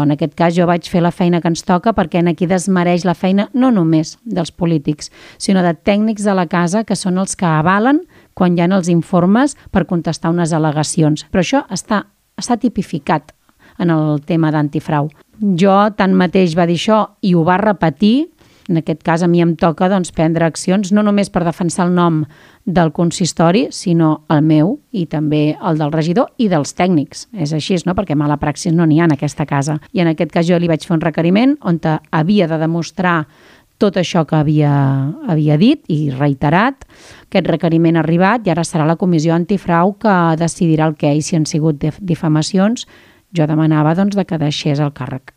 En aquest cas jo vaig fer la feina que ens toca perquè aquí desmereix la feina no només dels polítics, sinó de tècnics de la casa que són els que avalen quan hi ha els informes per contestar unes al·legacions. Però això està tipificat en el tema d'antifrau. Jo tanmateix va dir això i ho va repetir. En aquest cas, a mi em toca prendre accions, no només per defensar el nom del consistori, sinó el meu i també el del regidor i dels tècnics. És així, no? Perquè mala praxis no n'hi ha en aquesta casa. I en aquest cas jo li vaig fer un requeriment on havia de demostrar tot això que havia dit i reiterat. Aquest requeriment ha arribat i ara serà la comissió antifrau que decidirà el què i si han sigut difamacions. Jo demanava que deixés el càrrec.